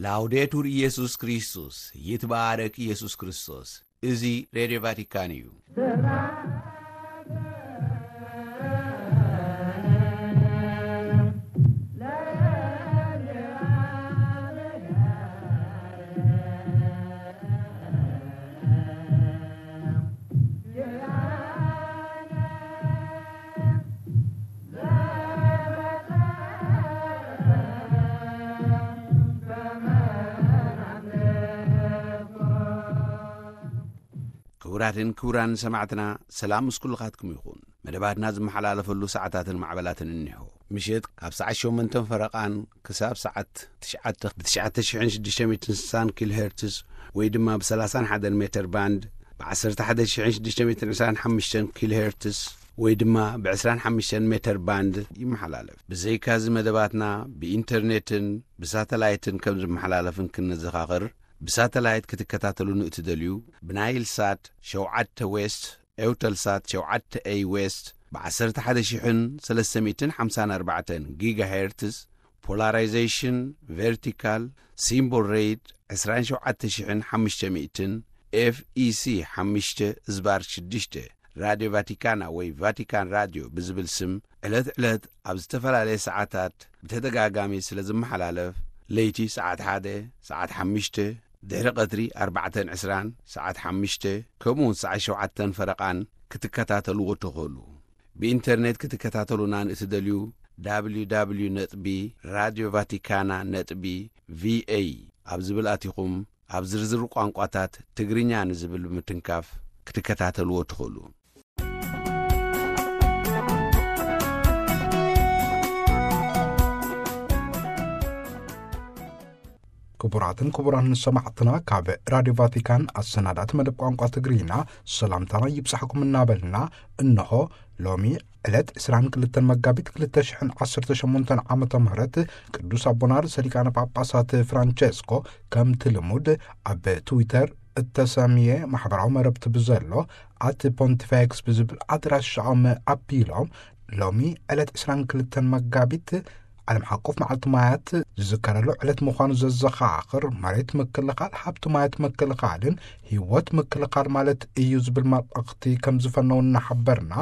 ላውዴቱር ኢየሱስ ክርስቶስ፣ ይትባረክ ኢየሱስ ክርስቶስ። እዚ ሬድዮ ቫቲካን እዩ። ክቡራትን ክቡራን ሰማዕትና፣ ሰላም ምስ ኩልኻትኩም ይኹን። መደባትና ዝመሓላለፈሉ ሰዓታትን ማዕበላትን እኒሆ። ምሽት ካብ ሰዓት ሸሞንተን ፈረቓን ክሳብ ሰዓት ትሽዓተ ብ ትሽዓተ ሽሕን ሽዱሽተ ሚእትን ስሳን ኪሎ ሄርትስ ወይ ድማ ብ ሰላሳን ሓደን ሜተር ባንድ፣ ብ ዓሰርተ ሓደ ሽሕን ሽዱሽተ ሚእትን ዕስራን ሓሙሽተን ኪሎ ሄርትስ ወይ ድማ ብ ዕስራን ሓሙሽተን ሜተር ባንድ ይመሓላለፍ። ብዘይካዚ መደባትና ብኢንተርኔትን ብሳተላይትን ከም ዝመሓላለፍን ክንዘኻኽር፣ ብሳተላይት ክትከታተሉ ንእትደልዩ፣ ብናይል ሳት ሸውዓተ ዌስት፣ ኤውተልሳት ሸውዓተ ኤይ ዌስት፣ ብ ዓሰርተ ሓደ ሽሕን ሰለስተ ሚእትን ሓምሳን ኣርባዕተን ጊጋሄርትስ፣ ፖላራይዜሽን ቨርቲካል፣ ሲምቦል ሬት ዕስራን ሸውዓተ ሽሕን ሓሙሽተ ሚእትን፣ ኤፍ ኢ ሲ ሓሙሽተ ዝባር ሽዱሽተ፣ ራድዮ ቫቲካና ወይ ቫቲካን ራድዮ ብዝብል ስም ዕለት ዕለት ኣብ ዝተፈላለየ ሰዓታት ብተደጋጋሚ ስለ ዝመሓላለፍ፣ ለይቲ ሰዓት ሓደ፣ ሰዓት ሓሙሽተ፣ ድሕሪ ቀትሪ ኣርባዕተን ዕስራን፣ ሰዓት ሓሙሽተ፣ ከምኡውን ሰዓት ሸውዓተን ፈረቓን ክትከታተልዎ ትኽእሉ። ብኢንተርኔት ክትከታተሉና ንእትደልዩ፣ ደብሊው ደብሊው ደብሊው ነጥቢ ራድዮ ቫቲካና ነጥቢ ቪ ኤ ኣብ ዝብል ኣቲኹም፣ ኣብ ዝርዝር ቋንቋታት ትግርኛ ንዝብል ብምትንካፍ ክትከታተልዎ ትኽእሉ። ክቡራትን ክቡራን ሰማዕትና፣ ካብ ራድዮ ቫቲካን ኣሰናዳእቲ መደብ ቋንቋ ትግርኛ ሰላምታና ይብጻሕኩም እናበልና፣ እነሆ ሎሚ ዕለት ዕስራን ክልተን መጋቢት ክልተ ሽሕን ዓሰርተ ሸሞንተን ዓመተ ምህረት ቅዱስ ኣቦና ርእሰ ሊቃነ ጳጳሳት ፍራንቸስኮ ከምቲ ልሙድ ኣብ ትዊተር እተሰምየ ማሕበራዊ መረብቲ ብዘሎ ኣት ፖንቲፌክስ ብዝብል ኣድራሻኦም ኣቢሎም፣ ሎሚ ዕለት ዕስራን ክልተን መጋቢት ዓለም ሓቆፍ መዓልቲ ማያት ዝዝከረሉ ዕለት ምዃኑ ዘዘኻኽር፣ መሬት ምክልኻል፣ ሃብቲ ማያት ምክልኻልን ህይወት ምክልኻል ማለት እዩ ዝብል መልእኽቲ ከም ዝፈነው እናሓበርና፣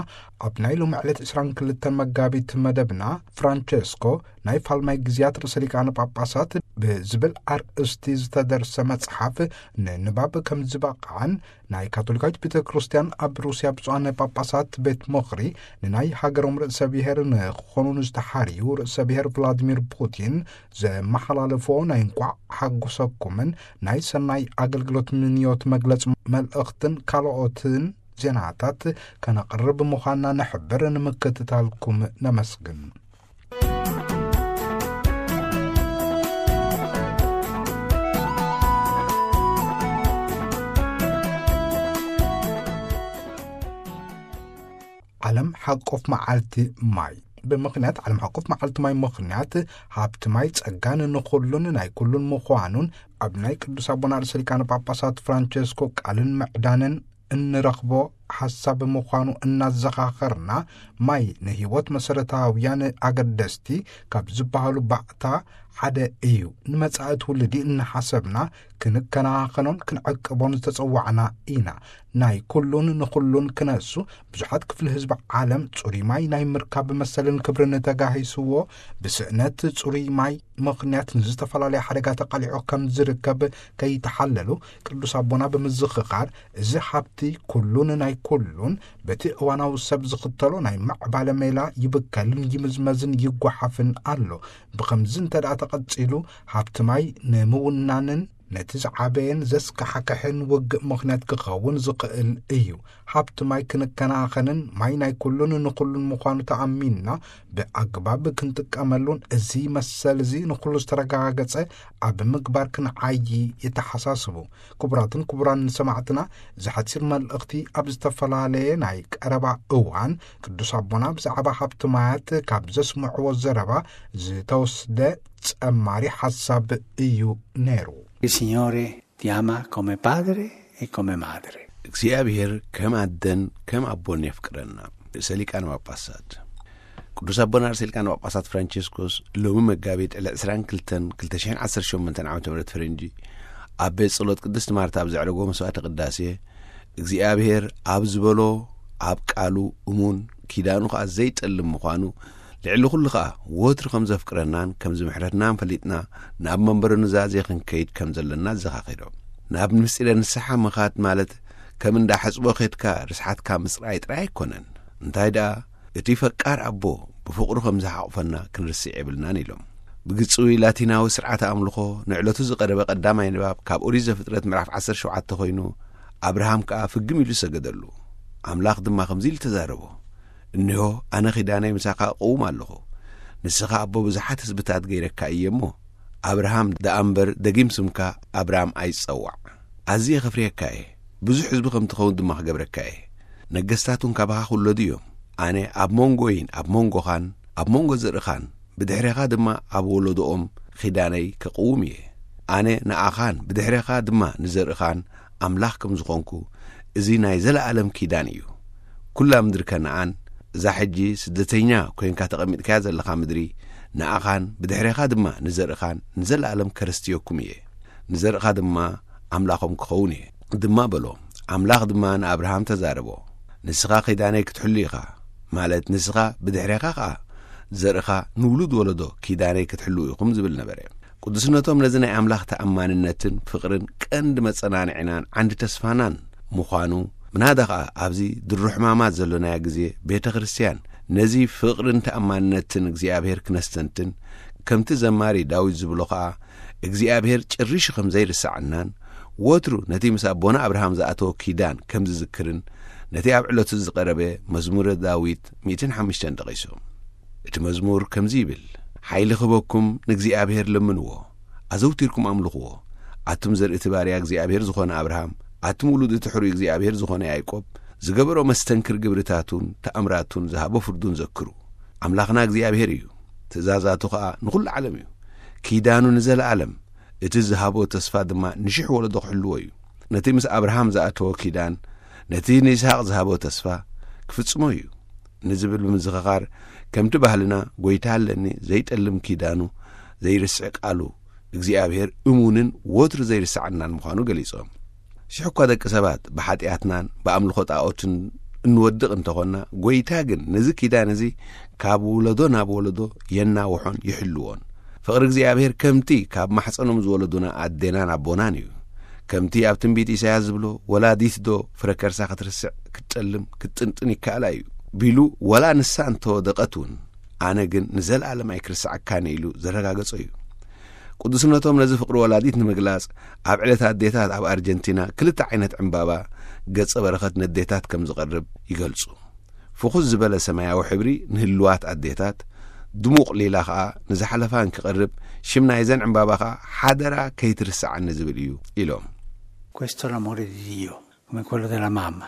ኣብ ናይ ሎሚ ዕለት ዕስራን ክልተን መጋቢት መደብና፣ ፍራንቸስኮ ናይ ፋልማይ ግዜያት ርእሰ ሊቃነ ጳጳሳት ብዝብል ኣርእስቲ ዝተደርሰ መጽሓፍ ንንባብ ከም ዝበቕዓን፣ ናይ ካቶሊካዊት ቤተ ክርስቲያን ኣብ ሩስያ ብፁዓን ጳጳሳት ቤት ምኽሪ ንናይ ሃገሮም ርእሰ ብሔር ንክኾኑ ንዝተሓርዩ ርእሰ ብሔር ቭላዲሚር ፑቲን ዘመሓላለፎ ናይ እንቋዕ ሓጎሰኩምን ናይ ሰናይ ኣገልግሎት ምንዮት መግለጽ መልእኽትን ካልኦትን ዜናታት ከነቕርብ ምዃንና ንሕብር። ንምክትታልኩም ነመስግን። ዓለም ሓቆፍ መዓልቲ ማይ። ብምኽንያት ዓለም ሓቆፍ መዓልቲ ማይ ምኽንያት፣ ሃብቲ ማይ ጸጋን ንኹሉን ናይ ኩሉን ምዃኑን ኣብ ናይ ቅዱስ ኣቦና ርእሰ ሊቃነ ጳጳሳት ፍራንቸስኮ ቃልን ምዕዳንን እንረኽቦ ሓሳብ ምዃኑ እናዘኻኸርና፣ ማይ ንህይወት መሰረታውያን ኣገደስቲ ካብ ዝበሃሉ ባእታ ሓደ እዩ። ንመጻኢ ትውልዲ እናሓሰብና ክንከናኸኖን ክንዕቅቦን ዝተጸዋዕና ኢና። ናይ ኩሉን ንኹሉን ክነሱ፣ ብዙሓት ክፍሊ ህዝቢ ዓለም ጽሩይ ማይ ናይ ምርካብ መሰልን ክብርን ተጋሂስዎ፣ ብስእነት ጽሩይ ማይ ምኽንያት ንዝተፈላለየ ሓደጋ ተቓሊዑ ከም ዝርከብ ከይተሓለሉ፣ ቅዱስ ኣቦና ብምዝኽኻር፣ እዚ ሃብቲ ኩሉን ናይ ኩሉን በቲ እዋናዊ ሰብ ዝኽተሎ ናይ ምዕባለ ሜላ ይብከልን ይምዝመዝን ይጓሓፍን ኣሎ። ብኸምዚ እንተ ደኣ ተቐጺሉ፣ ሃብቲ ማይ ንምውናንን ነቲ ዝዓበየን ዘስካሕክሕን ውግእ ምኽንያት ክኸውን ዝኽእል እዩ። ሃብቲ ማይ ክንከናኸንን ማይ ናይ ኩሉን ንኹሉን ምዃኑ ተኣሚንና ብኣግባብ ክንጥቀመሉን፣ እዚ መሰል እዚ ንኹሉ ዝተረጋገጸ ኣብ ምግባር ክንዓዪ የተሓሳስቡ። ክቡራትን ክቡራን ሰማዕትና፣ እዚ ሓጺር መልእኽቲ ኣብ ዝተፈላለየ ናይ ቀረባ እዋን ቅዱስ ኣቦና ብዛዕባ ሃብቲ ማያት ካብ ዘስምዕዎ ዘረባ ዝተወስደ ጸማሪ ሓሳብ እዩ ነይሩ። Il Signore ti ama come padre e come madre. እግዚኣብሔር ከም ኣደን ከም ኣቦን የፍቅረና። ርእሰ ሊቃነ ጳጳሳት። ቅዱስ ኣቦና ርእሰ ሊቃነ ጳጳሳት ፍራንቸስኮስ ሎሚ መጋቢት ዕለት ዕስራን ክልተን ክልተ ሽሕን ዓሰርተ ሸሞንተን ዓመተ ምህረት ፈረንጂ ኣብ ቤት ጸሎት ቅድስት ማርታ ኣብ ዘዕረጎ መስዋዕተ ቅዳሴ፣ እግዚኣብሔር ኣብ ዝበሎ ኣብ ቃሉ እሙን፣ ኪዳኑ ኸኣ ዘይጠልም ምዃኑ፣ ልዕሊ ኹሉ ኸኣ ወትሩ ከም ዘፍቅረናን ከም ዝምሕረትናን ፈሊጥና፣ ናብ መንበሩ ኑዛዜ ክንከይድ ከም ዘለና ኣዘኻኺሮም። ናብ ምስጢረ ንስሓ ምኻድ ማለት ከም እንዳ ሕጽቦ ኬድካ ርስሓትካ ምጽራይ ጥራይ ኣይኮነን። እንታይ ደኣ፣ እቲ ፈቃር ኣቦ ብፍቕሩ ከም ዝሓቑፈና ክንርስዕ የብልናን ኢሎም። ብግጽዊ ላቲናዊ ስርዓተ ኣምልኾ ንዕለቱ ዝቐረበ ቀዳማይ ንባብ ካብ ኦሪት ዘፍጥረት ምዕራፍ ዓሰርተ ሸውዓተ ኮይኑ፣ ኣብርሃም ከኣ ፍግም ኢሉ ሰገደሉ። ኣምላኽ ድማ ከምዚ ኢሉ ተዛረቦ፣ "እነሆ፣ ኣነ ኺዳነይ ምሳኻ እቕውም ኣለኹ። ንስኻ ኣቦ ብዙሓት ህዝብታት ገይረካ እየ እሞ፣ ኣብርሃም ደኣ እምበር ደጊም ስምካ ኣብራም ኣይጸዋዕ። ኣዝየ ኸፍርየካ እየ፣ ብዙሕ ህዝቢ ከም ትኸውን ድማ ክገብረካ እየ። ነገስታት እውን ካባኻ ክውለዱ እዮም። ኣነ ኣብ መንጎይን ኣብ መንጎኻን ኣብ መንጎ ዘርእኻን ብድሕሬኻ ድማ ኣብ ወለዶኦም ኺዳነይ ከቕውም እየ። ኣነ ንኣኻን ብድሕሬኻ ድማ ንዘርእኻን ኣምላኽ ከም ዝኾንኩ፣ እዚ ናይ ዘለኣለም ኪዳን እዩ። ኩላ ምድሪ ከነኣን፣ እዛ ሕጂ ስደተኛ ኮይንካ ተቐሚጥካያ ዘለኻ ምድሪ፣ ንኣኻን ብድሕሬኻ ድማ ንዘርእኻን ንዘለኣለም ከረስትየኩም እየ። ንዘርእኻ ድማ ኣምላኾም ክኸውን እየ" ድማ በሎ። ኣምላኽ ድማ ንኣብርሃም ተዛረቦ፣ "ንስኻ ኪዳነይ ክትሕሉ ኢኻ፣ ማለት ንስኻ ብድሕሬኻ ኸኣ ዘርእኻ ንውሉድ ወለዶ ኪዳነይ ክትሕልዉ ኢኹም" ዝብል ነበረ። ቅዱስነቶም ነዚ ናይ ኣምላኽ ተኣማንነትን ፍቕርን ቀንዲ መጸናንዒናን ዓንዲ ተስፋናን ምዃኑ፣ ምናዳ ኸኣ ኣብዚ ድሮ ሕማማት ዘሎናዮ ግዜ ቤተ ክርስትያን ነዚ ፍቕርን ተኣማንነትን እግዚኣብሔር ክነስተንትን፣ ከምቲ ዘማሪ ዳዊት ዝብሎ ኸኣ፣ እግዚኣብሔር ጨሪሹ ከም ዘይርስዓናን፣ ወትሩ ነቲ ምስ ኣቦና ኣብርሃም ዝኣተወ ኪዳን ከም ዝዝክርን፣ ነቲ ኣብ ዕለቱ ዝቐረበ መዝሙረ ዳዊት ሚእትን ሓሙሽተን ጠቒሱ። እቲ መዝሙር ከምዚ ይብል፣ "ሓይሊ ክህበኩም ንእግዚኣብሔር ለምንዎ፣ ኣዘውቲርኩም ኣምልኽዎ። ኣቱም ዘርኢ እቲ ባርያ እግዚኣብሔር ዝኾነ ኣብርሃም፣ ኣቱም ውሉድ እቲ ሕሩይ እግዚኣብሔር ዝኾነ ያዕቆብ፣ ዝገበሮ መስተንክር ግብርታቱን ተኣምራቱን ዝሃቦ ፍርዱን ዘክሩ። ኣምላኽና እግዚኣብሔር እዩ፣ ትእዛዛቱ ኸኣ ንኹሉ ዓለም እዩ። ኪዳኑ ንዘለኣለም፣ እቲ ዝሃቦ ተስፋ ድማ ንሽሕ ወለዶ ክሕልዎ እዩ። ነቲ ምስ ኣብርሃም ዝኣተዎ ኪዳን፣ ነቲ ንይስሃቅ ዝሃቦ ተስፋ ክፍጽሞ እዩ" ንዝብል ብምዝኽኻር፣ ከምቲ ባህልና፣ "ጐይታ ኣለኒ፣ ዘይጠልም ኪዳኑ፣ ዘይርስዕ ቃሉ እግዚኣብሔር እሙንን ወትሩ ዘይርስዓናን ምዃኑ" ገሊጾም። ሽሕ እኳ ደቂ ሰባት ብሓጢኣትናን ብኣምልኾ ጣኦትን እንወድቕ እንተኾንና፣ ጐይታ ግን ነዚ ኪዳን እዚ ካብ ወለዶ ናብ ወለዶ የናውሖን ይሕልዎን። ፍቕሪ እግዚኣብሔር ከምቲ ካብ ማሕጸኖም ዝወለዱና ኣዴናን ኣቦናን እዩ። ከምቲ ኣብ ትንቢት ኢሳያስ ዝብሎ፣ "ወላዲት ዶ ፍረ ከርሳ ክትርስዕ፣ ክትጠልም፣ ክትጥንጥን ይከኣላ እዩ?" ቢሉ፣ ወላ ንሳ እንተወደቐት እውን፣ "ኣነ ግን ንዘለኣለም ኣይክርስዓካን" ኢሉ ዘረጋገጾ እዩ። ቅዱስነቶም ነዚ ፍቕሪ ወላዲት ንምግላጽ፣ ኣብ ዕለት ኣዴታት ኣብ ኣርጀንቲና ክልተ ዓይነት ዕምባባ ገጸ በረኸት ነዴታት ከም ዝቐርብ ይገልጹ። ፍኹስ ዝበለ ሰማያዊ ሕብሪ ንህልዋት ኣዴታት፣ ድሙቕ ሊላ ኸኣ ንዝሓለፋ እንክቐርብ፣ ሽም ናይዘን ዕምባባ ኸኣ "ሓደራ ከይትርስዓኒ" ዝብል እዩ ኢሎም። Questo è l'amore di Dio, come quello della mamma.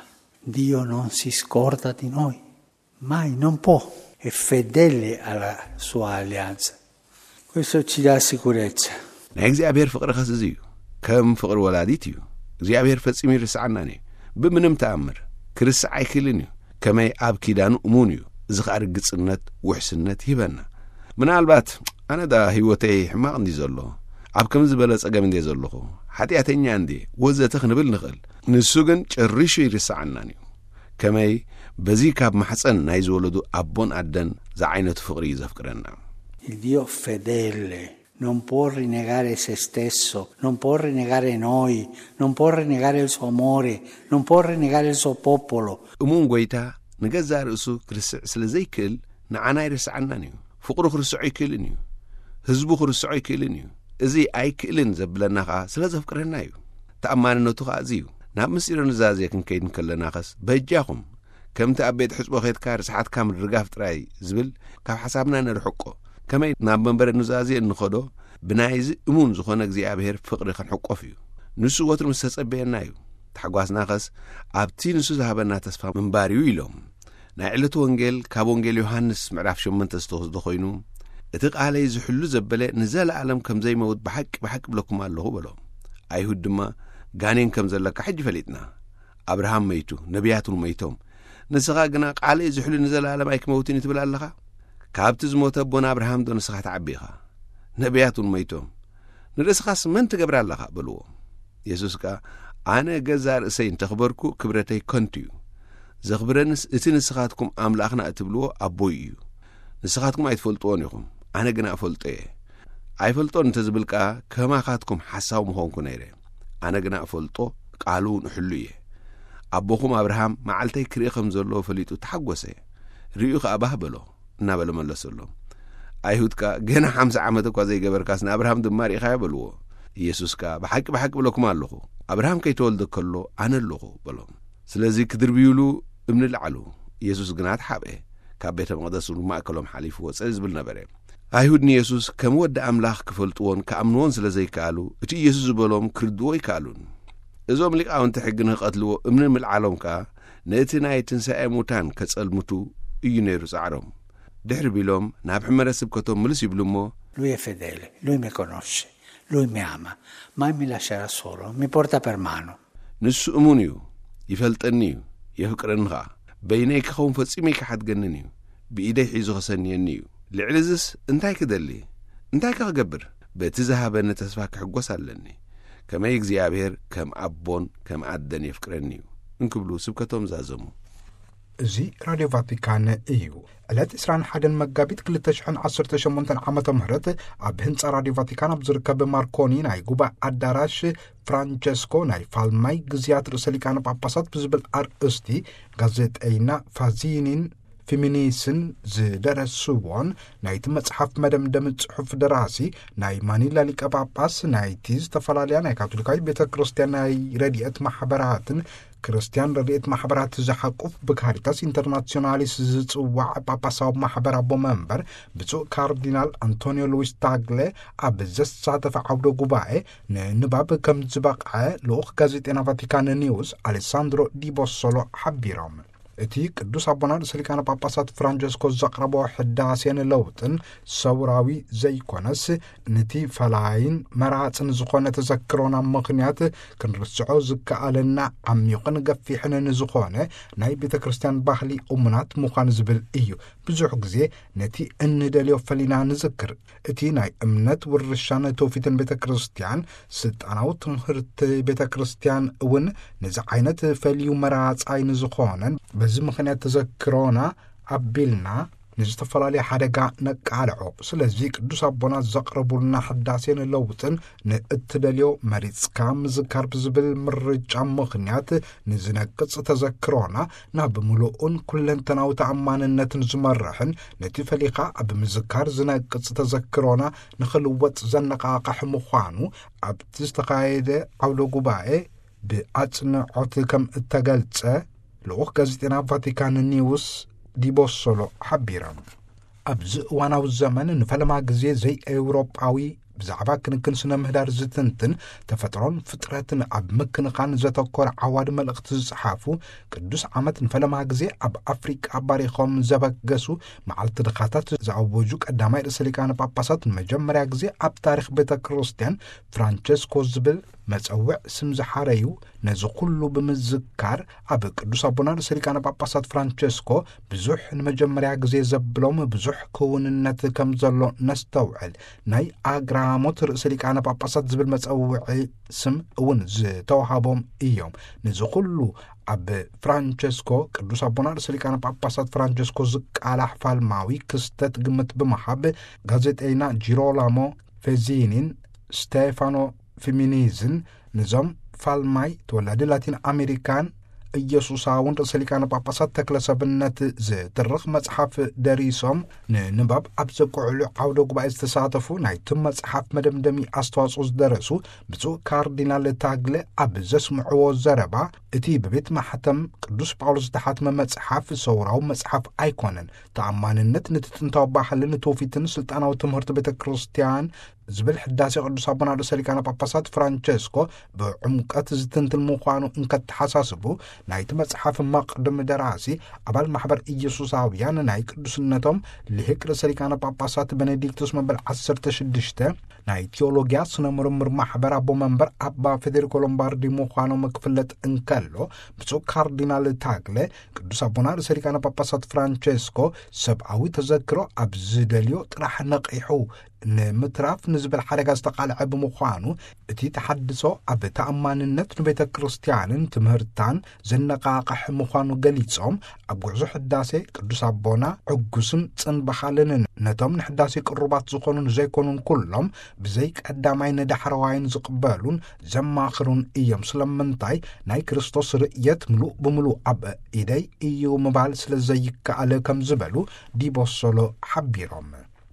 Dio non si scorda di noi, mai, non può, è fedele alla sua alleanza. Questo ci dà sicurezza. ናይ እግዚኣብሔር ፍቕሪ ኸስ እዚ እዩ፣ ከም ፍቕሪ ወላዲት እዩ። እግዚኣብሔር ፈጺሙ ይርስዓናን እዩ፣ ብምንም ተኣምር። ክርስዕ ኣይክእልን እዩ፣ ከመይ ኣብ ኪዳኑ እሙን እዩ። እዚ ኸኣ ርግጽነት፣ ውሕስነት ይህበና። ምናልባት፣ "ኣነ ደኣ ህይወተይ ሕማቕ እንዲ ዘሎ፣ ኣብ ከም ዝበለ ጸገም እንዲ ዘለኹ፣ ሓጢኣተኛ እንዲ" ወዘተ ክንብል ንኽእል። ንሱ ግን ጨሪሹ ይርስዓናን እዩ። ከመይ በዚ ካብ ማሕፀን ናይ ዝወለዱ ኣቦን ኣደን ዝዓይነቱ ፍቕሪ እዩ ዘፍቅረና። Il Dio fedele non può rinnegare se stesso, non può rinnegare noi, non può rinnegare il suo amore, non può rinnegare il suo popolo. እሙን ጎይታ ንገዛእ ርእሱ ክርስዕ ስለ ዘይክእል ንዓና ኣይርስዓናን እዩ። ፍቕሩ ክርስዖ ኣይክእልን እዩ። ህዝቡ ክርስዖ ኣይክእልን እዩ። እዚ ኣይክእልን ዘብለና ኸኣ ስለ ዘፍቅረና እዩ። ተኣማንነቱ ኸኣ እዚ እዩ። ናብ ምስጢረ ኑዛዜ ክንከይድ እንከለና ኸስ በጃኹም ከምቲ ኣብ ቤት ሕጽቦ ኬድካ ርስሓትካ ምድርጋፍ ጥራይ ዝብል ካብ ሓሳብና ነርሕቆ። ከመይ ናብ መንበረ ኑዛዜ እንኸዶ ብናይዚ እሙን ዝኾነ እግዚኣብሔር ፍቕሪ ክንሕቆፍ እዩ። ንሱ ወትሩ ምስ ተጸበየና እዩ። ታሕጓስና ኸስ ኣብቲ ንሱ ዝሃበና ተስፋ ምንባር እዩ ኢሎም። ናይ ዕለቱ ወንጌል ካብ ወንጌል ዮሃንስ ምዕራፍ ሸሞንተ ዝተወስደ ኮይኑ፣ እቲ ቃለይ ዝሕሉ ዘበለ ንዘለኣለም ከም ዘይመውት ብሓቂ ብሓቂ ብለኩም ኣለኹ በሎም። ኣይሁድ ድማ ጋኔን ከም ዘለካ ሕጂ ፈሊጥና። ኣብርሃም መይቱ፣ ነቢያት እውን መይቶም። ንስኻ ግና ቃለይ ዝሕሉ ንዘለኣለም ኣይክመውትን እዩ ትብል ኣለኻ? ካብቲ ዝሞተ ኣቦና ኣብርሃም ዶ ንስኻ ትዓቢ ኢኻ? ነቢያት እውን ሞይቶም። ንርእስኻስ መን ትገብር ኣለኻ?" በልዎ። የሱስ ከኣ፣ "ኣነ ገዛእ ርእሰይ እንተኽበርኩ፣ ክብረተይ ከንቱ እዩ። ዘኽብረንስ እቲ ንስኻትኩም ኣምላኽና እትብልዎ ኣቦይ እዩ። ንስኻትኩም ኣይትፈልጥዎን ኢኹም፣ ኣነ ግና እፈልጦ እየ። ኣይፈልጦን እንተ ዝብል ከኣ፣ ከማኻትኩም ሓሳዊ ምኾንኩ ነይረ። ኣነ ግና እፈልጦ፣ ቃሉ እውን እሕሉ እየ። ኣቦኹም ኣብርሃም መዓልተይ ክርኢ ከም ዘለዎ ፈሊጡ ተሓጎሰ። ርእዩ ከኣ ባህ በሎ" እናበለ መለሰሎም። ኣይሁድ ከኣ፣ "ገና ሓምሳ ዓመት እኳ ዘይገበርካስ ንኣብርሃም ድማ ርኢኻዮ?" በልዎ። ኢየሱስ ከኣ፣ "ብሓቂ ብሓቂ እብለኩም ኣለኹ፣ ኣብርሃም ከይተወልደ ከሎ ኣነ ኣለኹ" በሎም። ስለዚ ክድርብዩሉ እምኒ ለዓሉ። ኢየሱስ ግና ተሓብአ፣ ካብ ቤተ መቕደስ እውን ማእከሎም ሓሊፉ ወጸ ዝብል ነበረ። ኣይሁድ ንየሱስ ከም ወዲ ኣምላኽ ክፈልጥዎን ክኣምንዎን ስለ ዘይከኣሉ፣ እቲ ኢየሱስ ዝበሎም ክርድዎ ኣይከኣሉን። እዞም ሊቃውንቲ ሕጊ ንኽቐትልዎ እምኒ ምልዓሎም ከኣ፣ ነቲ ናይ ትንሳኤ ሙታን ከጸልምቱ እዩ ነይሩ ጻዕሮም። ድሕሪ ቢሎም ናብ ሕመረ ስብከቶም ምልስ ይብሉ እሞ፣ Lui è fedele, lui mi conosce, lui mi ama, mai mi lascerà solo, mi porta per mano. ንሱ እሙን እዩ፣ ይፈልጠኒ እዩ፣ የፍቅረኒ ኸኣ። በይነይ ክኸውን ፈጺሙ ኣይክሓድገንን እዩ፣ ብኢደይ ሒዙ ኸሰንየኒ እዩ። ልዕሊ እዝስ እንታይ ክደሊ? እንታይ ከ ክገብር? በቲ ዝሃበኒ ተስፋ ክሕጎስ ኣለኒ። ከመይ እግዚኣብሔር ከም ኣቦን ከም ኣደን የፍቅረኒ እዩ እንክብሉ ስብከቶም ዛዘሙ። እዚ ራድዮ ቫቲካን እዩ። ዕለት ዕስራን ሓደን መጋቢት ክልተ ሽሕን ዓሰርተ ሸሞንተን ዓመተ ምህረት ኣብ ህንጻ ራድዮ ቫቲካን ኣብ ዝርከብ ማርኮኒ ናይ ጉባኤ ኣዳራሽ ፍራንቸስኮ ናይ ፋልማይ ግዝያት ርእሰ ሊቃነ ጳጳሳት ብዝብል ኣርእስቲ ጋዜጠይና ፋዚኒን ፊሚኒስን ዝደረስዎን ናይቲ መጽሓፍ መደምደሚ ጽሑፍ ደራሲ ናይ ማኒላ ሊቀ ጳጳስ ናይቲ ዝተፈላለያ ናይ ካቶሊካዊት ቤተ ክርስቲያን ናይ ረድኤት ማሕበራትን ክርስቲያን ረድኤት ማሕበራት ዝሓቁፍ ብካሪታስ ኢንተርናሲዮናሊስ ዝጽዋዕ ጳጳሳዊ ማሕበር ኣቦ መንበር ብፁዕ ካርዲናል ኣንቶኒዮ ሉዊስ ታግለ ኣብ ዘሳተፈ ዓውደ ጉባኤ ንንባብ ከም ዝበቕዐ ልኡኽ ጋዜጠና ቫቲካን ኒውስ ኣሌሳንድሮ ዲቦሶሎ ሓቢሮም። እቲ ቅዱስ ኣቦና ርእሰ ሊቃነ ጳጳሳት ፍራንቸስኮ ዘቕረቦ ሕዳሴን ለውጥን ሰውራዊ ዘይኮነስ፣ ንቲ ፈላይን መራጽን ዝኾነ ተዘክሮና ምኽንያት ክንርስዖ ዝከኣለና ዓሚቕን ገፊሕን ንዝኾነ ናይ ቤተ ክርስቲያን ባህሊ እሙናት ምዃን ዝብል እዩ። ብዙሕ ግዜ ነቲ እንደልዮ ፈሊና ንዝክር። እቲ ናይ እምነት ውርሻን ትውፊትን ቤተ ክርስቲያን፣ ስልጣናዊ ትምህርቲ ቤተ ክርስቲያን እውን ነዚ ዓይነት ፈልዩ መራጻይ ንዝኾነን፣ በዚ ምኽንያት ተዘክሮና ኣቢልና ንዝተፈላለየ ሓደጋ ነቃልዖ። ስለዚ ቅዱስ ኣቦና ዘቕረቡልና ሕዳሴን ለውጥን ንእትደልዮ መሪጽካ ምዝካር ብዝብል ምርጫ ምኽንያት ንዝነቅጽ ተዘክሮና ናብ ምሉእን ኩለንተናዊ ተኣማንነትን ዝመርሕን፣ ነቲ ፈሊኻ ኣብ ምዝካር ዝነቅጽ ተዘክሮና ንኽልወጥ ዘነቓቕሕ ምዃኑ ኣብቲ ዝተኻየደ ዓውደ ጉባኤ ብኣጽንዖት ከም እተገልጸ ልኡኽ ጋዜጠና ቫቲካን ኒውስ ዲቦሶሎ ሓቢሮም። ኣብዚ እዋናዊ ዘመን ንፈለማ ግዜ ዘይኤውሮጳዊ ብዛዕባ ክንክን ስነ ምህዳር ዝትንትን ተፈጥሮን ፍጥረትን ኣብ ምክንኻን ዘተኮረ ዓዋዲ መልእኽቲ ዝጸሓፉ፣ ቅዱስ ዓመት ንፈለማ ግዜ ኣብ ኣፍሪቃ ባሪኾም ዘበገሱ መዓልቲ ድኻታት ዝኣወጁ ቀዳማይ ርእሰ ሊቃነ ጳጳሳት ንመጀመርያ ግዜ ኣብ ታሪኽ ቤተ ክርስቲያን ፍራንቸስኮ ዝብል መጸውዕ ስም ዝሓረዩ፣ ነዚ ኩሉ ብምዝካር ኣብ ቅዱስ ኣቦና ርእሰ ሊቃነ ጳጳሳት ፍራንቸስኮ ብዙሕ ንመጀመርያ ግዜ ዘብሎም ብዙሕ ክውንነት ከም ዘሎ ነስተውዕል። ናይ ኣግራሞት ርእሰ ሊቃነ ጳጳሳት ዝብል መጸውዒ ስም እውን ዝተዋሃቦም እዮም። ነዚ ኩሉ ኣብ ፍራንቸስኮ፣ ቅዱስ ኣቦና ርእሰ ሊቃነ ጳጳሳት ፍራንቸስኮ ዝቃላሕ ፋልማዊ ክስተት ግምት ብምሃብ፣ ጋዜጠይና ጂሮላሞ ፌዚኒን ስቴፋኖ ፊሚኒዝን ንዞም ፋልማይ ተወላዲ ላቲን ኣሜሪካን ኢየሱሳውን ርእሰ ሊቃነ ጳጳሳት ተክለ ሰብነት ዝትርኽ መጽሓፍ ደሪሶም ንንባብ ኣብ ዘብቅዕሉ ዓውደ ጉባኤ ዝተሳተፉ፣ ናይቲ መጽሓፍ መደምደሚ ኣስተዋጽኦ ዝደረሱ ብፁዕ ካርዲናል ታግለ ኣብ ዘስምዕዎ ዘረባ፣ እቲ ብቤት ማሕተም ቅዱስ ጳውሎስ ዝተሓትመ መጽሓፍ ሰውራዊ መጽሓፍ ኣይኮነን። ተኣማንነት ነቲ ጥንታዊ ባህልን ትውፊትን ስልጣናዊ ትምህርቲ ቤተ ክርስቲያን ዝብል ሕዳሴ ቅዱስ ኣቦና ርእሰ ሊቃነ ጳጳሳት ፍራንቸስኮ ብዕምቀት ዝትንትን ምዃኑ እንከተሓሳስቡ፣ ናይቲ መጽሓፍ መቕድም ደራሲ ኣባል ማሕበር ኢየሱሳውያን ናይ ቅዱስነቶም ልሂቅ ርእሰ ሊቃነ ጳጳሳት ቤኔዲክቱስ መበል ዓሰርተ ሽዱሽተ ናይ ቴዎሎጊያ ስነ ምርምር ማሕበር ኣቦ መንበር ኣባ ፌዴሪኮ ሎምባርዲ ምዃኖም ክፍለጥ እንከሎ፣ ብፁዕ ካርዲናል ታግለ ቅዱስ ኣቦና ርእሰ ሊቃነ ጳጳሳት ፍራንቸስኮ ሰብኣዊ ተዘክሮ ኣብ ዝደልዮ ጥራሕ ነቒሑ ንምትራፍ ንዝብል ሓደጋ ዝተቓልዐ ብምዃኑ፣ እቲ ተሓድሶ ኣብ ተኣማንነት ንቤተ ክርስቲያንን ትምህርታን ዘነቓቕሕ ምዃኑ ገሊጾም፣ ኣብ ጉዕዞ ሕዳሴ ቅዱስ ኣቦና ዕጉስን ጽንበኻልንን ነቶም ንሕዳሴ ቅሩባት ዝኾኑን ዘይኮኑን ኩሎም ብዘይ ቀዳማይ ንዳሕረዋይን ዝቕበሉን ዘማኽሩን እዮም። ስለምንታይ ናይ ክርስቶስ ርእየት ምሉእ ብምሉእ ኣብ ኢደይ እዩ ምባል ስለ ዘይከኣል ከም ዝበሉ ዲቦሶሎ ሓቢሮም።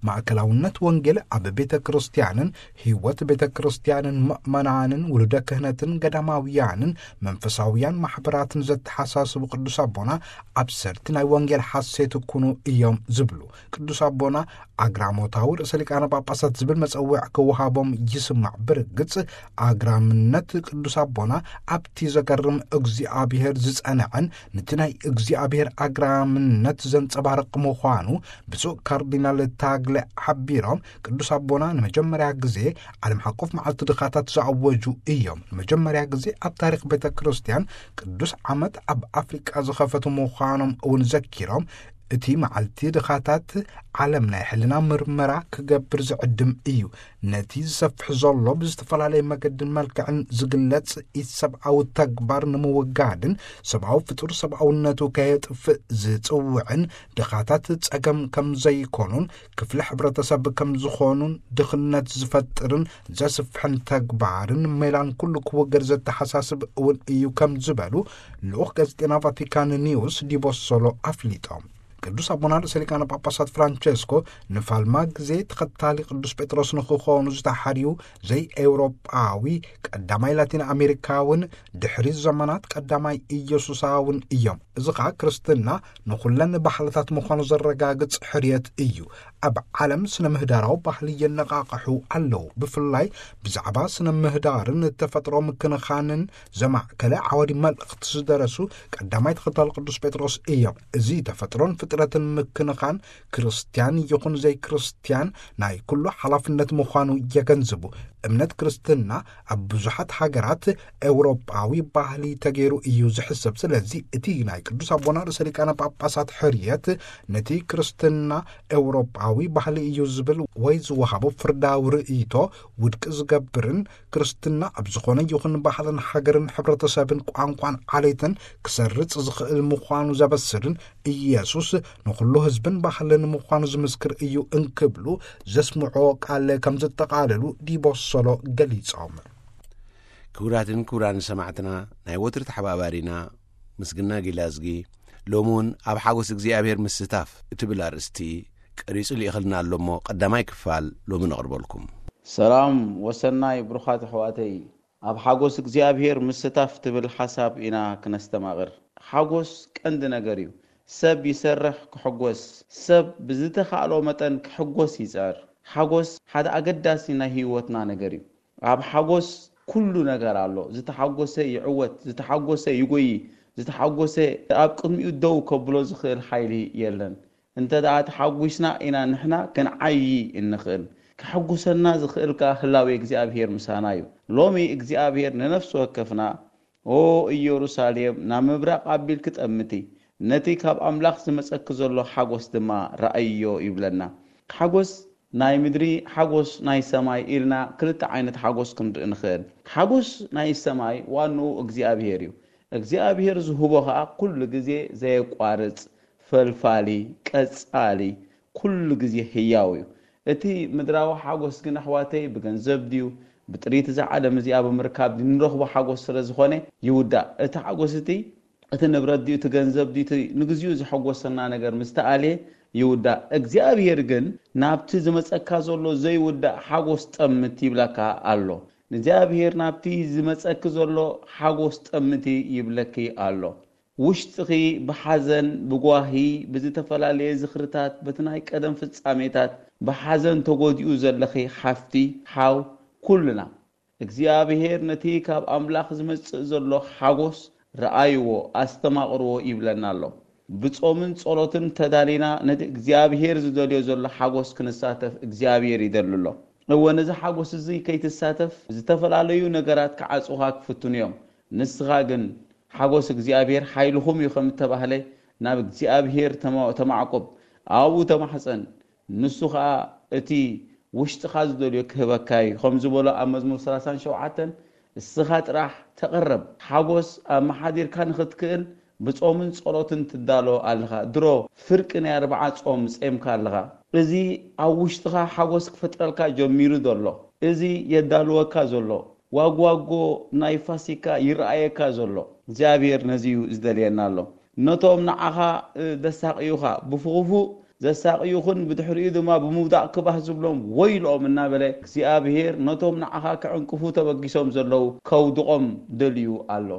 ማእከላውነት ወንጌል ኣብ ቤተ ክርስቲያንን ህይወት ቤተ ክርስቲያንን ምእመናንን ውሉደ ክህነትን ገዳማውያንን መንፈሳውያን ማሕበራትን ዘተሓሳስቡ ቅዱስ ኣቦና ኣብሰርቲ ናይ ወንጌል ሓሴት ኩኑ እዮም ዝብሉ። ቅዱስ ኣቦና ኣግራሞታዊ ርእሰ ሊቃነ ጳጳሳት ዝብል መጸውዕ ክወሃቦም ይስማዕ። ብርግጽ ኣግራምነት ቅዱስ ኣቦና ኣብቲ ዘገርም እግዚኣብሔር ዝጸንዐን ነቲ ናይ እግዚኣብሔር ኣግራምነት ዘንጸባርቕ ምዃኑ ብፁዕ ካርዲናል ታግለ ሓቢሮም፣ ቅዱስ ኣቦና ንመጀመርያ ግዜ ዓለም ሓቆፍ መዓልቲ ድኻታት ዝኣወጁ እዮም። ንመጀመርያ ግዜ ኣብ ታሪኽ ቤተ ክርስቲያን ቅዱስ ዓመት ኣብ ኣፍሪቃ ዝኸፈቱ ምዃኖም እውን ዘኪሮም፣ እቲ መዓልቲ ድኻታት ዓለም ናይ ሕልና ምርመራ ክገብር ዝዕድም እዩ። ነቲ ዝሰፍሕ ዘሎ ብዝተፈላለየ መገድን መልክዕን ዝግለጽ ኢሰብኣዊ ተግባር ንምውጋድን ሰብኣዊ ፍጡር ሰብኣውነቱ ከየጥፍእ ዝጽውዕን ድኻታት ጸገም ከም ዘይኮኑን ክፍሊ ሕብረተሰብ ከም ዝኾኑን ድኽነት ዝፈጥርን ዘስፍሕን ተግባርን ሜላን ኩሉ ክውገድ ዘተሓሳስብ እውን እዩ ከም ዝበሉ ልኡኽ ጋዜጠና ቫቲካን ኒውስ ዲቦሶሎ ኣፍሊጦም። ቅዱስ ኣቦና ርእሰ ሊቃነ ጳጳሳት ፍራንቸስኮ ንፋልማ ግዜ ተኸታሊ ቅዱስ ጴጥሮስ ንኽኾኑ ዝተሓርዩ ዘይኤውሮጳዊ ቀዳማይ ላቲን ኣሜሪካውን ድሕሪ ዘመናት ቀዳማይ ኢየሱሳውን እዮም። እዚ ኸኣ ክርስትና ንኹለን ባህልታት ምዃኑ ዘረጋግጽ ሕርየት እዩ። ኣብ ዓለም ስነ ምህዳራዊ ባህሊ የነቓቕሑ ኣለዉ። ብፍላይ ብዛዕባ ስነ ምህዳርን ተፈጥሮ ምክንኻንን ዘማእከለ ዓወዲ መልእኽቲ ዝደረሱ ቀዳማይ ተኸታሊ ቅዱስ ጴጥሮስ እዮም። እዚ ተፈጥሮን ፍጥረትን ምክንኻን ክርስትያን ይኹን ዘይክርስትያን ናይ ኩሉ ሓላፍነት ምዃኑ የገንዝቡ። እምነት ክርስትና ኣብ ብዙሓት ሃገራት ኤውሮጳዊ ባህሊ ተገይሩ እዩ ዝሕሰብ። ስለዚ እቲ ናይ ቅዱስ ኣቦና ርእሰ ሊቃነ ጳጳሳት ሕርየት ነቲ ክርስትና ኤውሮጳዊ ባህሊ እዩ ዝብል ወይ ዝወሃቦ ፍርዳዊ ርእይቶ ውድቂ ዝገብርን ክርስትና ኣብ ዝኾነ ይኹን ባህልን ሃገርን ሕብረተሰብን ቋንቋን ዓሌትን ክሰርጽ ዝኽእል ምዃኑ ዘበስርን ኢየሱስ ንኹሉ ህዝብን ባህልን ምዃኑ ዝምስክር እዩ እንክብሉ ዘስምዖ ቃል ከም ዘጠቓለሉ ዲቦሶሎ ገሊጾም። ክቡራትን ክቡራን ሰማዕትና፣ ናይ ወትሪ ተሓባባሪና ምስግና ጊላዝጊ ሎሚ እውን ኣብ ሓጎስ እግዚኣብሔር ምስታፍ እትብል ኣርእስቲ ቀሪጹ ልኢኽልና ኣሎ እሞ ቀዳማይ ክፋል ሎሚ ነቕርበልኩም። ሰላም ወሰናይ ብሩኻት ኣሕዋተይ፣ ኣብ ሓጎስ እግዚኣብሔር ምስታፍ ትብል ሓሳብ ኢና ክነስተማቕር። ሓጎስ ቀንዲ ነገር እዩ። ሰብ ይሰርሕ ክሕጎስ፣ ሰብ ብዝተኻእሎ መጠን ክሕጎስ ይጽዕር። ሓጎስ ሓደ ኣገዳሲ ናይ ህይወትና ነገር እዩ። ኣብ ሓጎስ ኩሉ ነገር ኣሎ። ዝተሓጎሰ ይዕወት፣ ዝተሓጎሰ ይጎዪ፣ ዝተሓጎሰ ኣብ ቅድሚኡ ደው ከብሎ ዝኽእል ሓይሊ የለን። እንተ ደኣ ተሓጒስና ኢና ንሕና ክንዓዪ እንኽእል። ከሐጉሰና ዝኽእል ከኣ ህላዌ እግዚኣብሔር ምሳና እዩ። ሎሚ እግዚኣብሔር ንነፍሲ ወከፍና፣ "ኦ ኢየሩሳሌም፣ ናብ ምብራቕ ኣቢልኪ ጠምቲ፣ ነቲ ካብ ኣምላኽ ዝመጸኪ ዘሎ ሓጎስ ድማ ረኣይዮ" ይብለና። ሓጎስ ናይ ምድሪ፣ ሓጎስ ናይ ሰማይ ኢልና ክልተ ዓይነት ሓጎስ ክንርኢ ንኽእል። ሓጎስ ናይ ሰማይ ዋንኡ እግዚኣብሔር እዩ። እግዚኣብሔር ዝህቦ ኸኣ ኩሉ ግዜ ዘየቋርጽ፣ ፈልፋሊ፣ ቀጻሊ፣ ኩሉ ግዜ ህያው እዩ። እቲ ምድራዊ ሓጎስ ግን ኣሕዋተይ ብገንዘብ ድዩ፣ ብጥሪት እዛ ዓለም እዚኣ ብምርካብ ድዩ ንረኽቦ ሓጎስ ስለ ዝኾነ ይውዳእ። እቲ ሓጎስ እቲ፣ እቲ ንብረት ድዩ፣ እቲ ገንዘብ ድዩ፣ እቲ ንግዚኡ ዘሐጎሰና ነገር ምስ ተኣልየ ይውዳእ። እግዚኣብሔር ግን ናብቲ ዝመጸካ ዘሎ ዘይውዳእ ሓጎስ ጠምት ይብለካ ኣሎ። እግዚኣብሔር ናብቲ ዝመጸኪ ዘሎ ሓጎስ ጠምቲ ይብለኪ ኣሎ። ውሽጥኺ ብሓዘን፣ ብጓሂ፣ ብዝተፈላለየ ዝኽርታት፣ በቲ ናይ ቀደም ፍጻሜታት፣ ብሓዘን ተጎዲኡ ዘለኺ ሓፍቲ፣ ሓው፣ ኩልና እግዚኣብሔር ነቲ ካብ ኣምላኽ ዝመጽእ ዘሎ ሓጎስ ረኣይዎ፣ ኣስተማቕርዎ ይብለና ኣሎ። ብጾምን ጸሎትን ተዳሊና ነቲ እግዚኣብሔር ዝደልዮ ዘሎ ሓጎስ ክንሳተፍ እግዚኣብሔር ይደሊ ኣሎ። እወ፣ ነዚ ሓጎስ እዚ ከይትሳተፍ ዝተፈላለዩ ነገራት ክዓጹኻ ክፍትኑ እዮም። ንስኻ ግን ሓጎስ እግዚኣብሔር ሓይልኹም እዩ ከም እተባህለ ናብ እግዚኣብሔር ተማ-፣ ተማዕቁብ፣ ኣብኡ ተማሕጸን። ንሱ ኸኣ እቲ ውሽጥኻ ዝደልዮ ክህበካ እዩ። ከም ዝበሎ ኣብ መዝሙር ሰላሳን ሸውዓተን፣ እስኻ ጥራሕ ተቐረብ። ሓጎስ ኣመሓዲርካ ንኽትክእል ብጾምን ጸሎትን ትዳሎ ኣለኻ። ድሮ ፍርቂ ናይ ኣርብዓ ጾም ጼምካ ኣለኻ። እዚ ኣብ ውሽጥኻ ሓጎስ ክፈጥረልካ ጀሚሩ ዘሎ፣ እዚ የዳልወካ ዘሎ፣ ዋጓጎ ናይ ፋሲካ ይረኣየካ ዘሎ እግዚኣብሔር ነዚ እዩ ዝደልየና ኣሎ። ነቶም ንዓኻ፣ እ፣ ደሳቕዩኻ፣ ብኽፉእ ዘሳቕዩኽን ብድሕሪኡ ድማ ብምውዳቕ ክባህ ዝብሎም ወይልኦም እናበለ እግዚኣብሔር ነቶም ንዓኻ ክዕንቅፉ ተበጊሶም ዘለዉ ከውድቖም ደልዩ ኣሎ።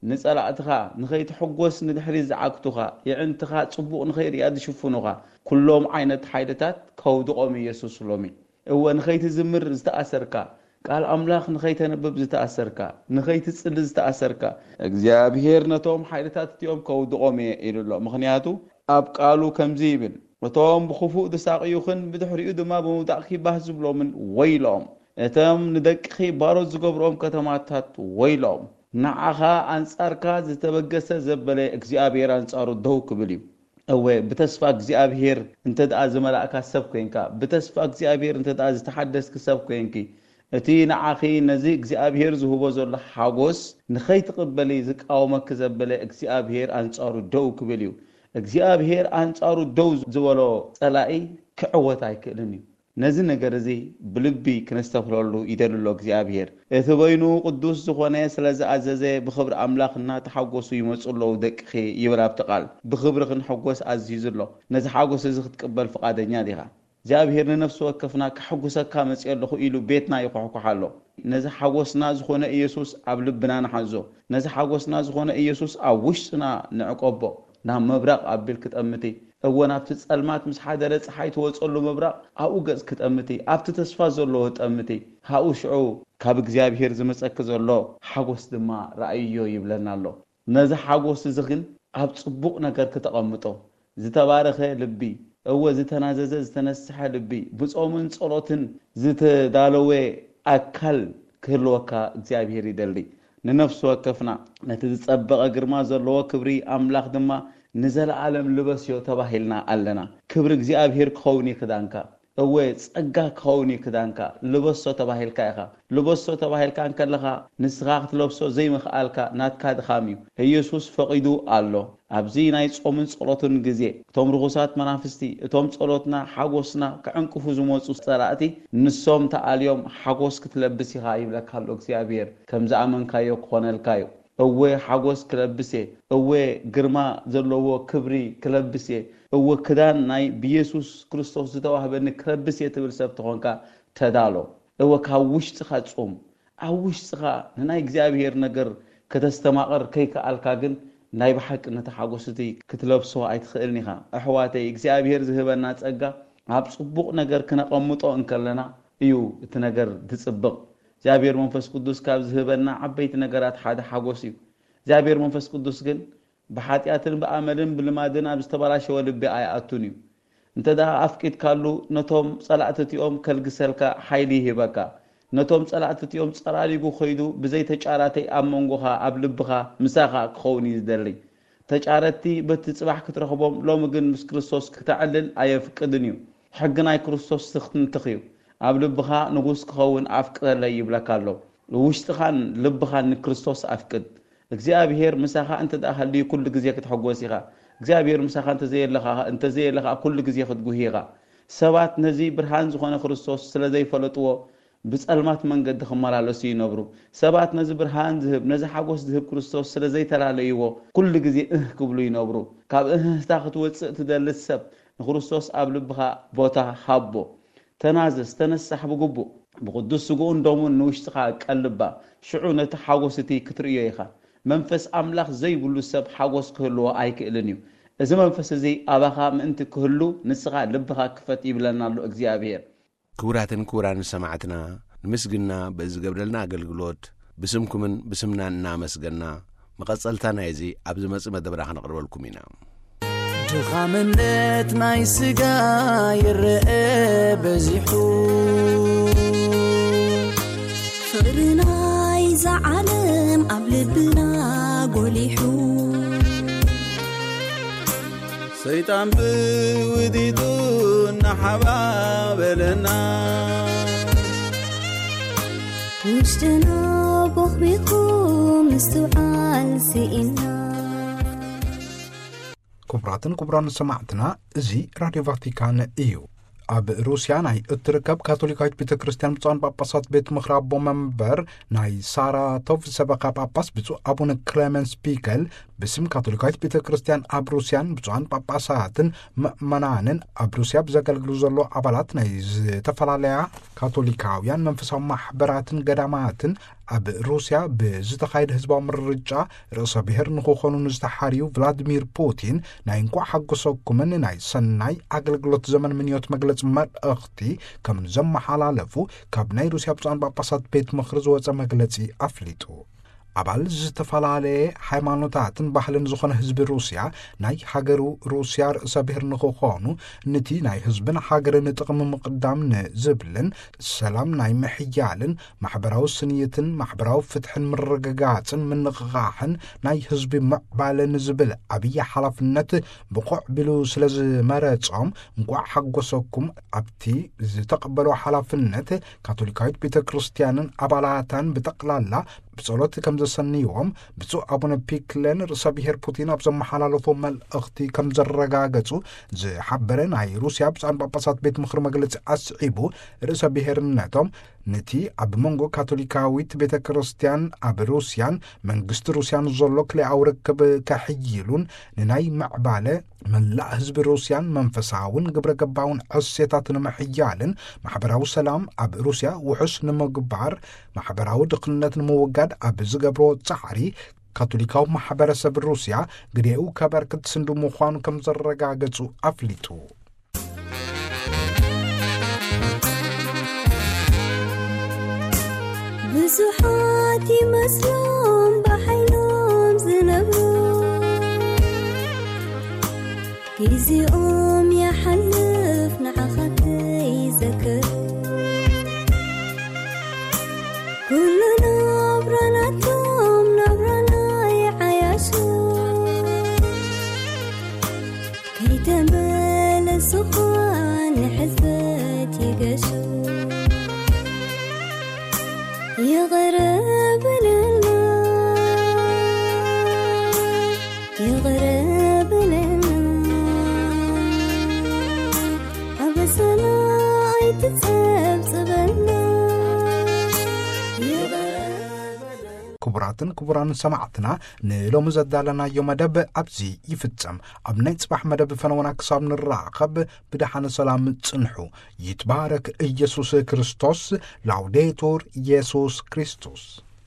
ንጸላእትኻ ንኸይትሕጎስ ንድሕሪት ዝዓግቱኻ፣ የዕንትኻ ጽቡቕ ንኸይርእያ ዝሽፍኑኻ ኩሎም ዓይነት ሓይልታት ከውድቖም ኢየሱስ ሎሚ። እወ፣ ንኸይትዝምር ዝተኣሰርካ፣ ቃል ኣምላኽ ንኸይተንብብ ዝተኣሰርካ፣ ንኸይትጽሊ ዝተኣሰርካ፣ እግዚኣብሔር ነቶም ሓይልታት እቲኦም ከውድቖም እየ ኢሉ ኣሎ። ምኽንያቱ ኣብ ቃሉ ከምዚ ይብል፣ እቶም ብኽፉእ ዝሳቕዩኽን ብድሕሪኡ ድማ ብምውዳቕ ኪባህ ዝብሎምን ወይሎም። እቶም ንደቅኺ ባሮት ዝገብርኦም ከተማታት ወይሎም። ንዓኻ ኣንጻርካ ዝተበገሰ ዘበለ እግዚኣብሔር ኣንጻሩ ደው ክብል እዩ። እወ፣ ብተስፋ እግዚኣብሔር እንተ ደኣ ዝመላእካ ሰብ ኮይንካ፣ ብተስፋ እግዚኣብሔር እንተ ደኣ ዝተሓደስኪ ሰብ ኮይንኪ፣ እቲ ንዓኺ ነዚ እግዚኣብሔር ዝህቦ ዘሎ ሓጎስ ንኸይትቕበሊ ዝቃወመኪ ዘበለ እግዚኣብሔር ኣንጻሩ ደው ክብል እዩ። እግዚኣብሔር ኣንጻሩ ደው ዝበሎ ጸላኢ ክዕወት ኣይክእልን እዩ። ነዚ ነገር እዚ ብልቢ ክነስተብህለሉ ይደሊ ኣሎ እግዚኣብሔር። እቲ በይኑ ቅዱስ ዝኾነ ስለ ዝኣዘዘ፣ ብኽብሪ ኣምላኽ እናተሓጎሱ ይመጹ ኣለዉ ደቅኺ ይብል ኣብቲ ቃል። ብኽብሪ ክንሕጎስ ኣዚዙ ኣሎ። ነዚ ሓጎስ እዚ ክትቅበል ፍቓደኛ ዲኻ? እግዚኣብሔር ንነፍሲ ወከፍና ከሐጉሰካ መጺአ ኣለኹ ኢሉ ቤትና ይኹሕኩሕ ኣሎ። ነዚ ሓጎስና ዝኾነ ኢየሱስ ኣብ ልብና ንሓዞ። ነዚ ሓጎስና ዝኾነ ኢየሱስ ኣብ ውሽጥና ንዕቀቦ። ናብ ምብራቕ ኣቢልኪ ጠምቲ። እወ፣ ናብቲ ጸልማት ምስ ሓደረ ጸሓይ ትወጸሉ ምብራቕ ኣብኡ ገጽኪ ጠምቲ። ኣብቲ ተስፋ ዘለዎ ጠምቲ። ካብኡ ሽዑ ካብ እግዚኣብሔር ዝመጸኪ ዘሎ ሓጎስ ድማ ረኣይዮ ይብለና ኣሎ። ነዚ ሓጎስ እዚ ግን ኣብ ጽቡቕ ነገር ክተቐምጦ፣ ዝተባረኸ ልቢ፣ እወ፣ ዝተናዘዘ ዝተነስሐ ልቢ፣ ብጾምን ጸሎትን ዝተዳለወ ኣካል ክህልወካ እግዚኣብሔር ይደሊ። ንነፍሲ ወከፍና ነቲ ዝጸበቐ ግርማ ዘለዎ ክብሪ ኣምላኽ ድማ ንዘለኣለም ልበስዮ ተባሂልና ኣለና። ክብሪ እግዚኣብሔር ክኸውን እዩ ክዳንካ። እወ፣ ጸጋ ክኸውን እዩ ክዳንካ። ልበሶ ተባሂልካ ኢኻ። ልበሶ ተባሂልካ እንከለኻ፣ ንስኻ ክትለብሶ ዘይምኽኣልካ ናትካ ድኻም እዩ። ኢየሱስ ፈቒዱ ኣሎ። ኣብዚ ናይ ጾምን ጸሎትን ግዜ፣ እቶም ርኹሳት መናፍስቲ፣ እቶም ጸሎትና፣ ሓጎስና ክዕንቅፉ ዝመጹ ጸላእቲ፣ ንሶም ተኣልዮም ሓጎስ ክትለብስ ኢኻ ይብለካ ኣሎ እግዚኣብሔር። ከም ዝኣመንካዮ ክኾነልካ እዩ። እወ፣ ሓጎስ ክለብስ እየ። እወ፣ ግርማ ዘለዎ ክብሪ ክለብስ እየ። እወ፣ ክዳን ናይ ብየሱስ ክርስቶስ ዝተዋህበኒ ክለብስ እየ ትብል ሰብ ተኾንካ፣ ተዳሎ። እወ፣ ካብ ውሽጥኻ ጹም። ኣብ ውሽጥኻ ንናይ እግዚኣብሔር ነገር ከተስተማቕር ከይከኣልካ ግን፣ ናይ ብሓቂ ነቲ ሓጎስ እቲ ክትለብሶ ኣይትኽእልን ኢኻ። ኣሕዋተይ፣ እግዚኣብሔር ዝህበና ጸጋ ኣብ ጽቡቕ ነገር ክነቐምጦ እንከለና እዩ እቲ ነገር ዝጽብቕ። እግዚኣብሔር መንፈስ ቅዱስ ካብ ዝህበና ዓበይቲ ነገራት ሓደ ሓጎስ እዩ። እግዚኣብሔር መንፈስ ቅዱስ ግን ብሓጢኣትን ብኣመልን ብልማድን ኣብ ዝተበላሸወ ልቢ ኣይኣቱን እዩ። እንተ ደኣ ኣፍቂድካሉ፣ ነቶም ጸላእቲ እቲኦም ከልግሰልካ ሓይሊ ይህበካ። ነቶም ጸላእቲ እቲኦም ጸራሪጉ ኸይዱ፣ ብዘይ ተጫራተይ ኣብ መንጎኻ፣ ኣብ ልብኻ፣ ምሳኻ ክኸውን እዩ ዝደሊ። ተጫረቲ በቲ ጽባሕ ክትረኽቦም፣ ሎሚ ግን ምስ ክርስቶስ ክተዕልል ኣየፍቅድን እዩ። ሕጊ ናይ ክርስቶስ ትኽንትኽ እዩ። ኣብ ልብኻ ንጉስ ክኸውን ኣፍቅረለይ ይብለካ ኣሎ። ውሽጥኻን ልብኻን ንክርስቶስ ኣፍቅድ። እግዚኣብሔር ምሳኻ እንተ ደኣ ሃልዩ፣ ኩሉ ግዜ ክትሕጎስ ኢኻ። እግዚኣብሔር ምሳኻ እንተ ዘየለኻ፣ እንተ ዘየለኻ፣ ኩሉ ግዜ ክትጉሂ ኢኻ። ሰባት ነዚ ብርሃን ዝኾነ ክርስቶስ ስለ ዘይፈለጥዎ፣ ብጸልማት መንገዲ ክመላለሱ ይነብሩ። ሰባት ነዚ ብርሃን ዝህብ፣ ነዚ ሓጎስ ዝህብ ክርስቶስ ስለ ዘይተላለይዎ፣ ኩሉ ግዜ እህ ክብሉ ይነብሩ። ካብ እህህታ ክትወጽእ ትደሊ ሰብ፣ ንክርስቶስ ኣብ ልብኻ ቦታ ሃቦ። ተናዘዝ፣ ተነሳሕ ብግቡእ። ብቅዱስ ስግኡን ደሙን ንውሽጥኻ ቀልባ። ሽዑ ነቲ ሓጎስ እቲ ክትርእዮ ኢኻ። መንፈስ ኣምላኽ ዘይብሉ ሰብ ሓጎስ ክህልዎ ኣይክእልን እዩ። እዚ መንፈስ እዚ ኣባኻ ምእንቲ ክህሉ ንስኻ ልብኻ ክፈት ይብለና ኣሎ እግዚኣብሔር። ክቡራትን ክቡራን ሰማዕትና፣ ንምስግና በዚ ዝገብረልና ኣገልግሎት ብስምኩምን ብስምናን እናመስገና፣ መቐጸልታ ናይዚ ኣብ ዝመጽእ መደብና ከነቕርበልኩም ኢና። ድኻምነት ናይ ስጋ ይረአ በዚሑ፣ ፍቕሪ ናይ እዛ ዓለም ኣብ ልብና ጎሊሑ፣ ሰይጣን ብውዲቱ እናሓባበለና፣ ውሽጥና ቦኽቢኹ ምስትውዓል ስኢና። ክቡራትን ክቡራን ሰማዕትና፣ እዚ ራድዮ ቫቲካን እዩ። ኣብ ሩስያ ናይ እትርከብ ካቶሊካዊት ቤተ ክርስቲያን ብፁዓን ጳጳሳት ቤት ምኽሪ ኣቦ መንበር ናይ ሳራቶቭ ሰበኻ ጳጳስ ብፁዕ ኣቡነ ክሌመንስ ፒከል ብስም ካቶሊካዊት ቤተ ክርስቲያን ኣብ ሩስያን ብፁዓን ጳጳሳትን ምእመናንን ኣብ ሩስያ ብዘገልግሉ ዘሎ ኣባላት ናይ ዝተፈላለያ ካቶሊካውያን መንፈሳዊ ማሕበራትን ገዳማትን ኣብ ሩስያ ብዝተኻየደ ህዝባዊ ምርጫ ርእሰ ብሔር ንክኾኑ ንዝተሓርዩ ቭላድሚር ፑቲን ናይ እንኳዕ ሓጎሰኩምን ናይ ሰናይ ኣገልግሎት ዘመን ምንዮት መግለጺ መልእኽቲ ከም ዘመሓላለፉ ካብ ናይ ሩስያ ብፁዓን ጳጳሳት ቤት ምኽሪ ዝወጸ መግለጺ ኣፍሊጡ። ኣባል ዝተፈላለየ ሃይማኖታትን ባህልን ዝኾነ ህዝቢ ሩስያ ናይ ሃገሩ ሩስያ ርእሰ ብሔር ንክኾኑ ንቲ ናይ ህዝብን ሃገርን ጥቕሚ ምቕዳም ንዝብልን ሰላም ናይ ምሕያልን ማሕበራዊ ስንይትን ማሕበራዊ ፍትሕን ምርግጋጽን ምንቕቓሕን ናይ ህዝቢ ምዕባለ ንዝብል ዓብዪ ሓላፍነት ብቑዕ ቢሉ ስለ ዝመረጾም እንቋዕ ሓጎሰኩም ኣብቲ ዝተቐበሎ ሓላፍነት ካቶሊካዊት ቤተ ክርስቲያንን ኣባላታን ብጠቕላላ ብጸሎት ከም ዘሰንይዎም ብፁዕ ኣቡነ ፒክለን ርእሰ ብሔር ፑቲን ኣብ ዘመሓላለፎ መልእኽቲ ከም ዘረጋገጹ ዝሓበረ ናይ ሩስያ ብፁዓን ጳጳሳት ቤት ምኽሪ መግለጺ ኣስዒቡ፣ ርእሰ ብሔርነቶም ነቲ ኣብ መንጎ ካቶሊካዊት ቤተ ክርስቲያን ኣብ ሩስያን መንግስቲ ሩስያን ዘሎ ክልኣዊ ርክብ ከሕይሉን ንናይ ምዕባለ መላእ ህዝቢ ሩስያን መንፈሳውን ግብረ ገባውን ዕሴታት ንምሕያልን ማሕበራዊ ሰላም ኣብ ሩስያ ውሑስ ንምግባር ማሕበራዊ ድኽነት ንምውጋድ ኣብ ዝገብሮ ጻዕሪ ካቶሊካዊ ማሕበረሰብ ሩስያ ግዴኡ ከበርክት ስንዱ ምዃኑ ከም ዘረጋገጹ ኣፍሊጡ። ብዙሓት ይመስሎም ብሓይሎም ዝነብሩ፣ ግዜኦም ይሓልፍ ንዓኻ ከይዘክሩ። ኩሉ ናብራ ናቶም ናብራ ናይ ዓያሹ፣ ከይተመለሱ ኳ ንሕልፈት ይገሹ። ይቕረ በለልና፣ ይቕረ በለልና፣ ኣበሳና ኣይትጸብጽበልና። ይቕረ በለልና። ክቡራትን ክቡራን ሰማዕትና፣ ንሎሚ ዘዳለናዮ መደብ ኣብዚ ይፍጸም። ኣብ ናይ ጽባሕ መደብ ፈነወና ክሳብ ንራኸብ ብደሓነ ሰላም ጽንሑ። ይትባረክ ኢየሱስ ክርስቶስ። ላውዴቱር ኢየሱስ ክርስቶስ።